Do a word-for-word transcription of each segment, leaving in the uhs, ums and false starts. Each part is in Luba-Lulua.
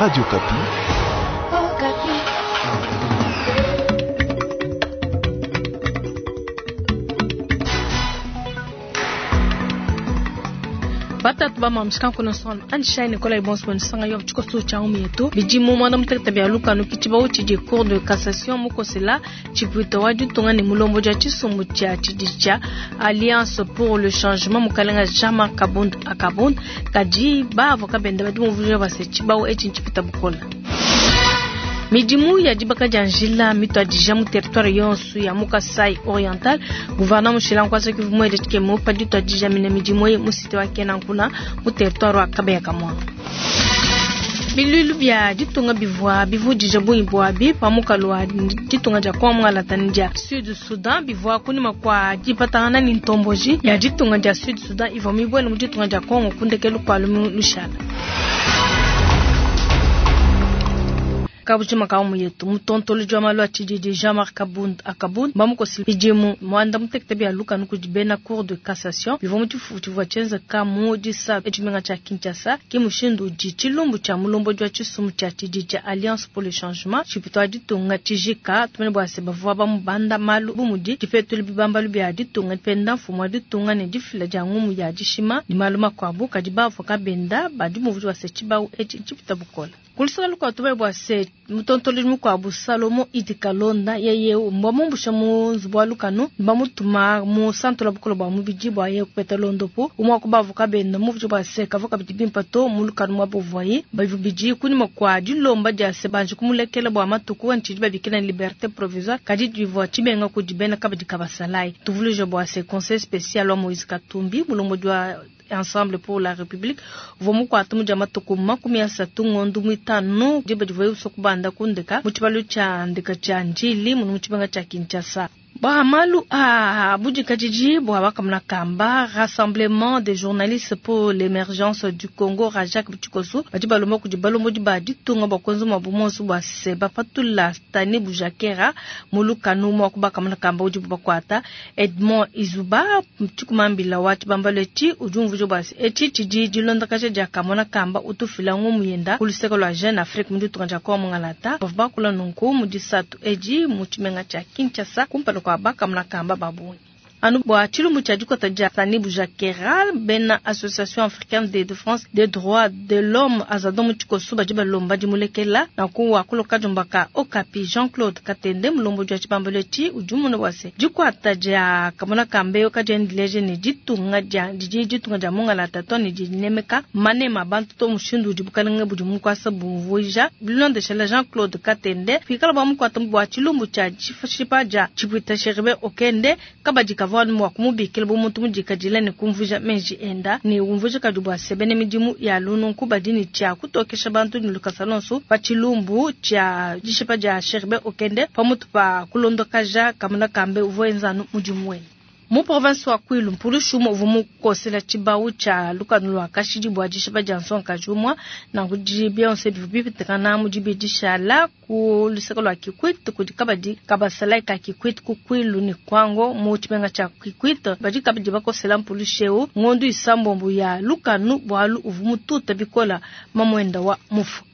Radio Okapi. Oh, Batatu ba mamskan kono son an shay Nicolas Ibons sanga yo tshikoso cha umietu bidimu mwana mutekete bya lukanu kichiba uchi di cour de cassation mukosela chipwito wa ditunga ne mulombo ja chisumbu cha chidicha Alliance pour le changement mukalenga Jean-Marc Kabund akabund kadi ba avocat benda badi muvuje base chibawo echi nchipita bukola midimu ya dibaka dia njila mituadija mu territoire yonso ya mu Kasai Oriental gouverneur mushila nkwasa kivu mwele tshikemo pa dituadija mine midimu eyi mu cité wa Kenankuna mu territoire wa Kabeya Kamwanga bilulu bia ditunga bivua bivudija bungi bwabi pamukalo wa ditunga dia kwamwalata ni dia Sud Sudan bivua kunyima kwa dipatangana ni ntomboji ya ditunga dia Sud Sudan ivua mibwele mu ditunga dia Kongo kundekelu kwa lumu lushala kabujima ka mu yetu mutontolo jwa malu a tshididi Jean-Marc Kabund akabund bamukosi bidimu mwanda mutekete bia lukanu kudi bena cour de cassation bivua mu tshifufu tshivua tshienzeka mu disa tshimenga tshia Kinshasa ke mushindu udi tshilumbu tshia mulombodi wa tshisumbu tshia tshididi tshia Alliance pour le changement tshipito wa ditunga tshijika tumene bua se bavua bamubanda malu bu mudi dipetula bibambalu bia ditunga dipenda mfumu wa ditunga ne difila dia ngumu ya dishima ne malu makuabu kadi bavua kabenda badi muvuji wa se tshibawu etshi tshipita bukola kulusaka lukuabu tumene bua se mutontolodi mukuabu Salomo Idi Kalonda yeye mbamumbusha mu nzubu wa lukanu bamutuma mu santo la bukolo bua mubidi bua ye kupeta londopo umwe wa kubavuka benda muvuji bua se kavua kabidi bimpa to mu lukanu mua buvuaye bivubidi kunyima kua dilomba dia se banji kumulekela bua matuku ntshidi babikila ne liberté provisoire kadi divua tshibenga kudi bena kabidi kabasalayi tuvuluije bua se conseil spécial wa Moïse Katumbi mulombodi wa Ensemble pour la République uvua mukuata mudia matuku makumi asatu ngondu muitanu diba divuaye usua kubanda kundeka mu tshibalu tshia ndeka tshia Ndjili munu mu tshimenga tshia Kinshasa. Bua malu a budikadidi bua bakamuna kamba Rassemblement des journalistes pour l'émergence du Congo Rajak Tshikoso badi balomba kudi balombodi ba ditunga bua kuenza muabu monso bua se bapatula Stani Bujakera mu lukanu mua kubakamuna kamba udibu bakuata Edmond Izuba tshikumambila wa tshibambalu etshi udi umvuija bua se etshi tshidi dilondakaja dia kamona kamba utufila ngumu yenda ku luseke lua Jeune Afrique mu ditunga dia Kongo Mungalata bavua bakula nunku mu disatu edi mu tshimenga tshia Kinshasa kumpala kwa bakamuna kamba babungi. Anu bua tshilumbu tshia dikota dia Stani Bujakera bena Association africaine de défense des droits de l'homme azadon mu tshikoso badi balomba dimulekela nanku wakuloka diombaka Okapi Jean-Claude Katende mulombodi wa tshibambalu etshi udi umona bua se dikuata dia kamona kamba eyo kadiendileje ne ditunga dia didi ditunga dia Mungalata to ne dinemeka manema bantu to mushindu udi bukalenge budi mukwasa bumvuija bilondeshela Jean-Claude Katende pikala bua mukuata bua tshilumbu tshia tshipa dia tshipwita Chérubin Okende kabadi kavua mua kumubikila bu muntu mudikadile ne kumvuija menji enda ne umvuija kadi bua se bene midimu ya lununku badi ne tshia kutokesha bantu ne lukasa lonso pa tshilumbu tshia dishipa dia Chérubin Okende pamutu pa kulondokaja kamuna kambe uvua enza mudimu wende. Mu province wa Kwilu mpulushi umue uvua mukosela tshibawu tshia lukanu lua kashidi bua dishipa dia nsongakaji umue nanku bionso bivua bipitikana mu dibidi dishala ku luseke lua Kikwit kudi kabadi kabasalayi ka Kikwit ku Kwilu ne Kwango mu tshimenga tshia Kikwit badi kabidi bakosela mpulushi eu ngondu isambombo ya lukanu bualu uvua mututa bikola mamuenda wa mufu.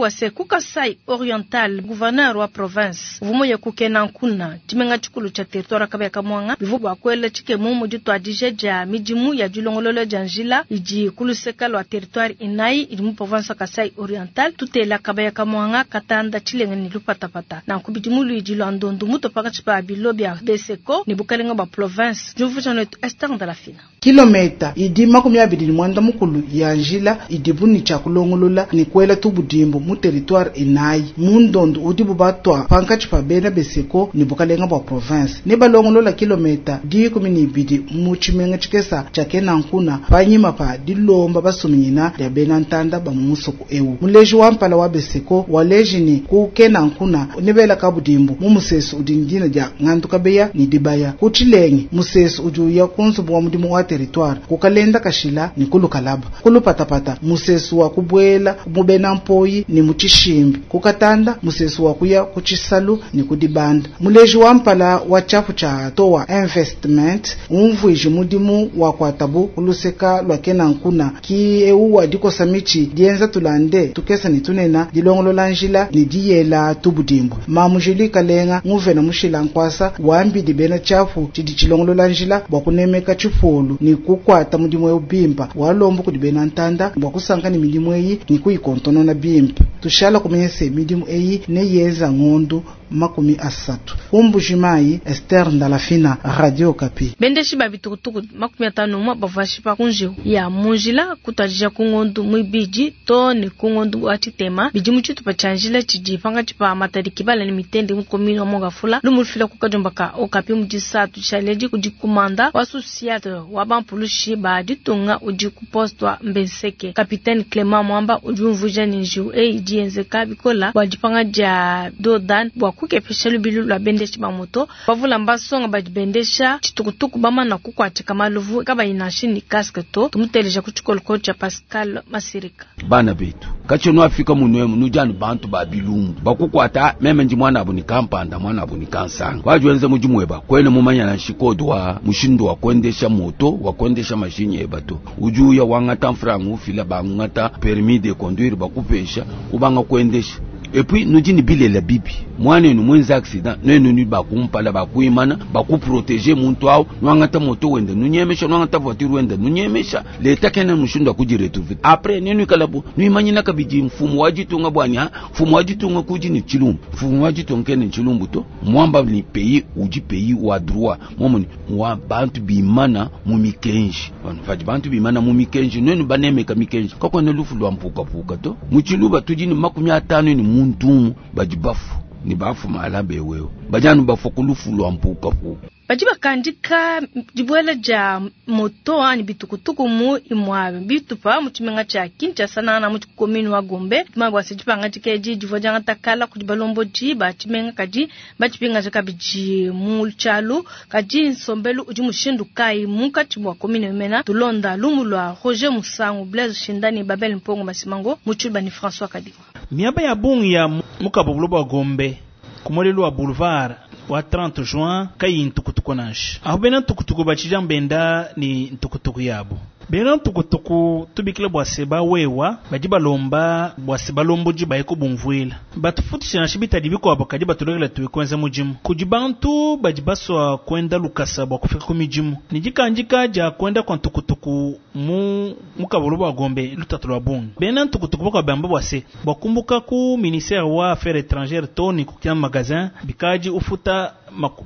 Wase ku Kasai Oriental gouverneur wa province uvua kukena nkuna tshimenga tshikulu tshia territoire Kabeya Kamwanga bivua bua kuela tshikemu mu dituadija dia midimu ya dilongolola dia njila idi ku luseke lua territoire inayi idi mu province wa Kasai Oriental tutela Kabeya Kamwanga Katanda Tshilenge ne Lupatapata nanku bidimu luidi lua ndondu mutu pakatshi pa bilo bia Beseko ne bukalenga bua province diumvuija netu Esther Ndalafina kilomita idi makumi abidi ne mwanda mukulu ya njila idibu ne tshia kulongolola ne kuela tubudimbu mu territoire inayi mu ndondu udibu batwa pankatshi pa bena Beseko ne bukalenga bua province ne balongolola kilomita dikumi ne ibidi mu tshimenga tshikesa tshia Kenankuna panyima pa dilomba basuminyina dia bena ntanda ba mu musoko ewu muleji wa mpala wa Beseko waleji ne ku Kenankuna ne bela kabudimbu mu musesu udi ndina dia Ngandu Kabeya ne dibaya ku Tshilenge musesu udi uya ku nzubu wa mudimu wa territoire ku Kalenda Kashila ni ku Lukalaba. Ku Lupatapata musesu wa kubwela mu bena mpoyi ni mu Tshishimbi. Ku Katanda musesu wa kuya ku Tshisalu ni ku Dibanda. Muleji wa mpala wa tshiapu tshia Toa Investment umvuije mudimu wa kuatabu kuluseka lwa kenankuna ki eu wa dikosa michi dienza tulande tukesa ni tunena dilongolola njila ni diyela tubudimbu. Mamu Julie Kalenga nguvena mushila nkwasa wambidi bena tshiapu tshidi tshilongolola njila bwa kunemeka tshipolu ni kukwata mudimu eu bimpa walombo kudi bena ntanda bwa kusanka ni midimu eyi ni kuyikontonona bimpa. Tushala kumenya se midimu eyi ne yeza ngondu makumi asatu. Kumbujimayi Esther Ndalafina, Radio Okapi. Bendeshi ba bitukutuku makumi atano mwa bavashi pa kunjiu ya munjila kutwajija kungondu mwibiji to ni kungondu wa chitema bidi mu tshitupa tshia njila tshidi pangatshi pa Matadi Kibala ni Mitende mu commune wa Mongafula lumulufila ku kadiomba ka Okapi mu disatu tshialedi kudi kumanda wa sous-ciat wa bampulushi ba ditunga udi ku poste wa Mbenseke. Capitaine Clement Mwamba udi umvuija ni njiu eyi dienzeka bikola bua dipanga dia dodan bua kukepesha lubilu lwa bendeshi ba moto bavula mbasonga badi bendesha tshitukutuku bamana kukuatshika maluvu kabayi nansha ni casque to. Tumuteleja ku tshikoloko tshia Pascal Masirika. Bana betu katshono afika munwemu nujanu bantu ba bilumbu bakukwata meme ndi mwana abu ni kampanda mwana abu ni kansanga wajuenze mudimu eba kwene mumanya na shikodo wa mushindu wa kuendesha moto wa kuendesha mashinyi eba to ujuya wangata mfrangu ufila bangata permis de conduire bakupesha ubanga kuendesha. Et puis nous dit bilela bibi mwana mwenza accident nenu ni bakumpala bakuimana bakuprotéger muntu awo nwangata moto wenda nunyemesha nwangata voiture wenda nunyemesha leta kena mushindu akujiretrouver après nenu kalabu nuimanyina kabidi mfumo wa ditunga bwani ha mfumo wa ditunga kuji ni chilumbu mfumo wa ditunga kene chilumbu to mwamba ni pays uji pays wa droit momoni wa bantu bimana mu mikenji banu bantu bimana mu mikenji nenu banemeka mikenji kakone lufu lwa mpuka puka to muchiluba tudi ni makumi atano ni muntumu badi bafu ni bafu malabe wewe bajanu bafu kulufu lwa mpuka puka badi bakandika dibuela dia moto ani bitukutuku mu imwa bitupa mu tshimenga tshia Kinshasa na mu commune wa Gombe mabwa se dipanga dikeji divua diangatakala kudi balombodi ba tshimenga kadi batshipingaja kabidi mu tshialu kadi nsombelu udi mushindu kayi munkatshi mua commune mena tulonda lumu lua Roger Musangu Blaise Shindani Babel Mpongo Masimango mu tshiluba ni François Kadima. Miaba ya bungi ya mukabubulo bwa Gombe kumolelo wa boulevard wa trente juin kayi ntukutuku nansha aho bena ntukutuku bachija mbenda ni ntukutuku yabo bena ntukutuku tubikila bwa seba wewa badi balomba bwa seba lomboji bayeko bumvuila batufutisha nansha bitadi bikwabo kadi batulekela tuikwenza mudimu kudi bantu badi baswa kwenda lukasa bwa kufika ku midimu ni dikandika dia kwenda kwa ntukutuku mu mukabolo bwa Gombe lutatu lwa bungi bena ntukutuku bakwa bamba bwa se bwa kumbuka ku ministère wa affaires étrangères toni kukia magasin bikaji ufuta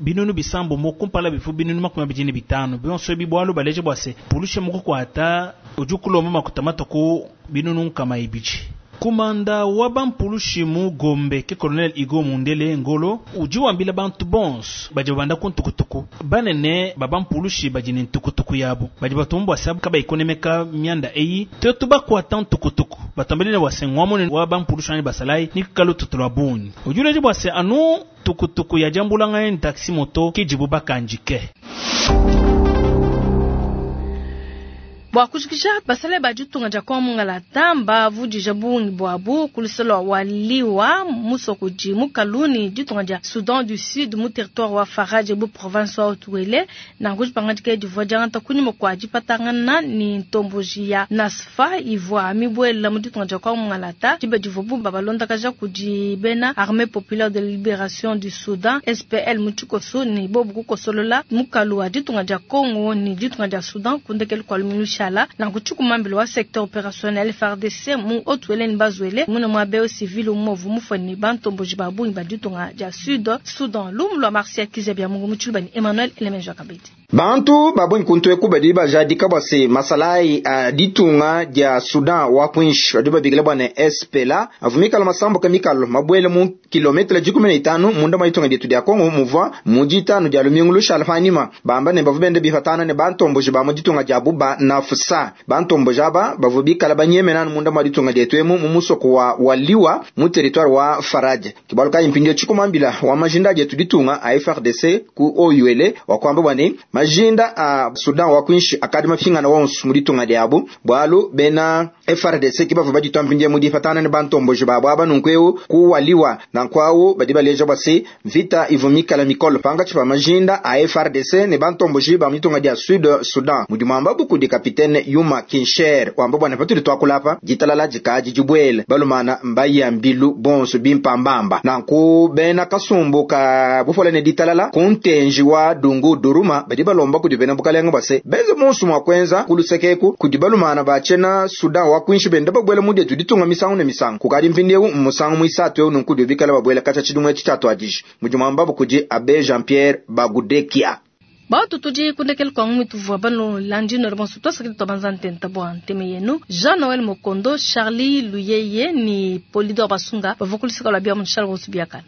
binunu bisambo mo kumpala bifu binunu makumi abidi ne bitano bionso bibwalu baleje bwa se pulushe muko kwata ujukulomba makutamata ku binunu nkama ibiji. Kumanda wa bampulushi mu Gombe ke colonel Igo Mundele Ngolo uji wambila bantu bonso badi babanda ku ntukutuku banene babampulushi badi ne ntukutuku yabo badi batumbwa sabu kaba ikonemeka mianda eyi tetu bakwata ntukutuku batambele bwase ngwamone wa bampulushi ani basalai ni kalo tutulwa bunyi ujuleje bwase anu tukutuku ya jambulanga ni taxi moto kijibu bakanjike. Bwa kushikisha basale ba ditunga dia kwa mungala tamba vudija bungi bwabu kuluselo waliwa musoko di mukaluni ditunga dia Soudan du Sud mu territoire wa Faraje bu province wa Haut-Uele na ngujipanga dike divua diangata kunyima kua dipatangana ni ntomboji ya Nasfa ivua mibwela mu ditunga dia kwa mungala ta diba divua bu babalondakaja kudi bena Armée Populaire de Libération du Soudan S P L mu tshikoso ni bobu kukosolola mukalu wa ditunga dia Congo ni ditunga dia Soudan kundekelu kwa lumilusha na kuchukumambilo wa secteur opérationnel F A R D C mu Haut-Uele ni Bazwele muna mwa beo civil movu mufani bantomboji babungi ba ditunga dia Sud Soudan lumu lwa Marcia Kizabia Mungu muchuluba ni Emmanuel Elemenjo Kabedi. Bantu babungi kuntweku badi bajadika bwase masalai a ditunga dia Sudan wa kwinshi badi babikila bwana S P L A avumikalo masambo kamikalo mabwele mu kilometre dikumi na itanu munda mwa ditunga dietu dia Kongo muvua mu ditanu dia lumingu lushala panyima bamba ne bavu bende bifatana ne bantomboji ba mu ditunga dia buba na fusa bantomboji aba bavu bikala banyemenanu munda mwa ditunga dietu emu mu musoko wa waliwa mu territoire wa Faraje kibaluka impindio chikumambila wa majinda dietu ditunga a F R D C ku O U L wakwamba bwane Majinda a Sudan wa kuinshi akadi mafingana wonso mu ditunga diabu bwalu bena F R D C ki bavua baditwa mpindie mu dipatana ne bantomboji babo aba nunku kuwaliwa nankwawu badi baleja bwa se vita ivu mikala mikolo pangatshi pa majinda a F R D C ne bantomboji ba mu ditunga dia Sud Sudan. Mudi mwamba bukudi kapitene Yuma Kinsher wamba bwana patudi twakulapa ditalala dikadi dibwele balumana mbayambilu bonso bimpambamba. Nanku bena kasumbu ka bufola ne ditalala kuntenji wa dungu duruma badi balomba kudi bena bukalenga bwa se benze monso mwa kwenza kulusekeku kudi balumana bachena Sudan wa kuinshi benda babwela mu dietu ditunga misangu ne misangu kukadi mpindiewu musangu mwisatu eu nunku dio bikala babwela kacha tshidimwe tshitshatwadiji. Mudi mwamba bukudi abe Jean Pierre Bagudekia. Batu tudi kundekele kwa ngumi tuvua bano landino bonso twasakidi twabanza ntenta bwa nteme yenu Jean Noël Mokondo, Charlie Luyeye ni Polidor Basunga bavukulisika lwa bia munshala bonso biakana.